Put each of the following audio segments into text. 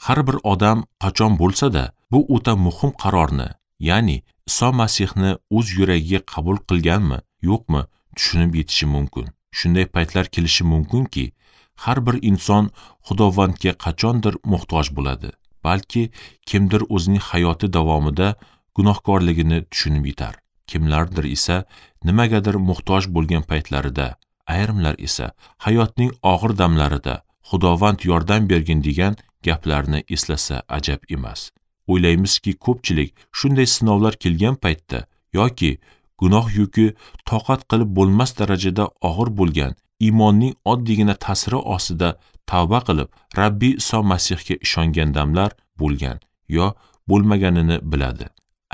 Har bir odam qachon bo'lsa-da bu o'ta muhim qarorni, ya'ni Iso Masihni o'z yuragiga qabul qilganmi, yo'qmi tushunib yetishi mumkin. Shunday paytlar kelishi mumkinki, har bir inson Xudovandga qachondir muhtoj bo'ladi. Balki kimdir o'zining hayoti davomida gunohkorligini tushunib yetar. Kimlardir esa nimagadir muhtoj bo'lgan paytlarida, ayrimlar esa hayotning og'ir damlarida Xudovand yordam bergin degan gaplarni eslasa ajab emas. O'ylaymizki, ko'pchilik shunday sinovlar kelgan paytda yoki gunoh yuki toqat qilib bo'lmas darajada og'ir bo'lgan iymonning oddiygina ta'siri ostida tavba qilib, Rabbiy Iso Masihga ishongan damlar bo'lgan yo bo'lmaganini biladi.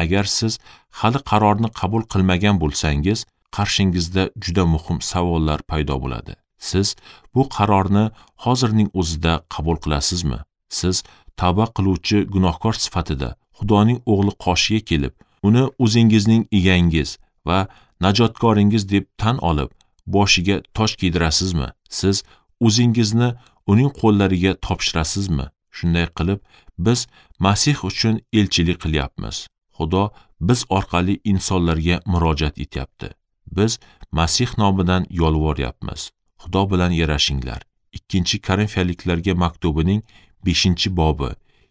Agar siz hali qarorni qabul qilmagan bo'lsangiz, qarshingizda juda muhim savollar paydo bo'ladi. Siz bu qarorni hozirning o'zida qabul qilasizmi? Siz tavba qiluvchi gunohkor sifatida Xudoning o'g'li qoshiga kelib, uni o'zingizning egangiz va najotkoringiz deb tan olib, boshiga tosh kiydirasizmi? Siz o'zingizni uning qo'llariga topshirasizmi? Shunday qilib, biz Masih uchun elchilik qilyapmiz. Xudo biz orqali insonlarga murojaat etyapti. Biz Masih nomidan yolvoryapmiz. Xudo bilan yarashinglar. 2-Korinfiyaliklarga maktubining 5-bobi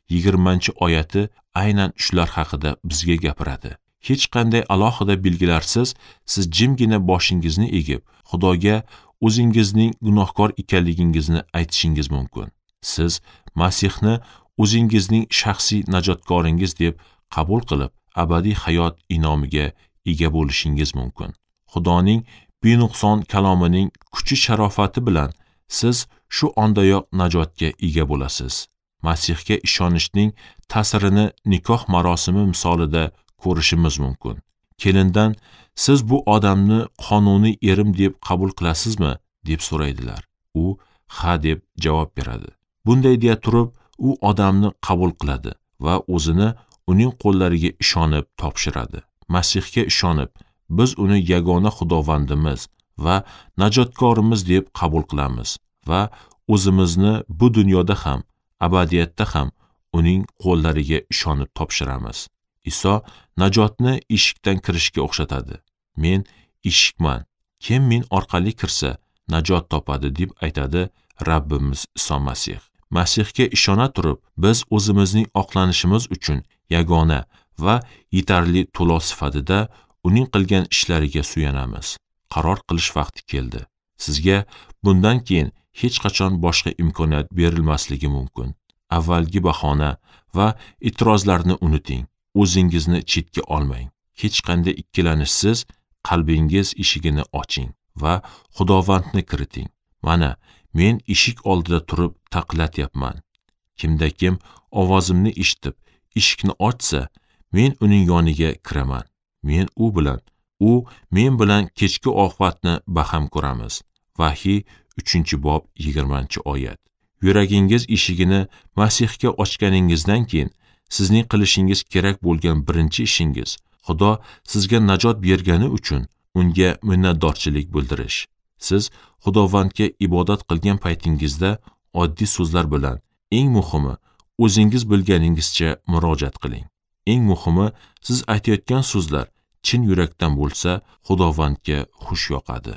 20-oyati aynan shular haqida bizga gapiradi. Hech qanday alohida belgilarsiz siz jimgina boshingizni egib, Xudoga o'zingizning gunohkor ekanligingizni aytishingiz mumkin. Siz Masihni o'zingizning shaxsiy najotkoringiz deb qabul qilib, abadiy hayot inomiga ega bo'lishingiz mumkin. Xudoning benuqson kalomining kuchi sharofati bilan siz shu ondayoq najotga ega bo'lasiz. Masihga ishonishning ta'sirini nikoh marosimi misolida ko'rishimiz mumkin. Kelindan siz bu odamni qonuniy erim deb qabul qilasizmi deb so'raydilar. U ha deb javob beradi. Bunday deya turib, u odamni qabul qiladi va o'zini uning qo'llariga ishonib topshiradi. Masihga ishonib, biz uni yagona Xudovandimiz va najotkorimiz deb qabul qilamiz va o'zimizni bu dunyoda ham, abadiyatda ham uning qo'llariga ishonib topshiramiz. Iso najotni eshikdan kirishga o'xshatadi. Men eshikman. Kim men orqali kirsa, najot topadi deb aytadi Rabbimiz Iso Masih. Masihga ishona turib, biz o'zimizning oqlanishimiz uchun yagona va yetarli to'lov sifatida uning qilgan ishlariga suyanamiz. Qaror qilish vaqti keldi. Sizga bundan keyin hech qachon boshqa imkoniyat berilmasligi mumkin. Avvalgi bahona va e'tirozlarni unuting. O'zingizni chetga olmang. Hech qanday ikkilanishsiz qalbingiz eshigini oching va Xudovandni kiriting. Mana, men eshik oldida turib taqillatyapman. Kimda kim ovozimni eshitib, eshikni ochsa, men uning yoniga kiraman. Men u bilan, u men bilan kechki ovqatni baham ko'ramiz. Vahiy 3-bob 20-oyat. Yuragingiz eshigini Masihga ochganingizdan keyin sizning qilishingiz kerak bo'lgan birinchi ishingiz Xudo sizga najot bergani uchun unga minnatdorchilik bildirish. Siz Xudovandga ibodat qilgan paytingizda oddiy so'zlar bilan, eng muhimi, o'zingiz bilganingizcha murojaat qiling. Eng muhimi, siz aytayotgan so'zlar chin yurakdan bo'lsa, Xudovandga xush yoqadi.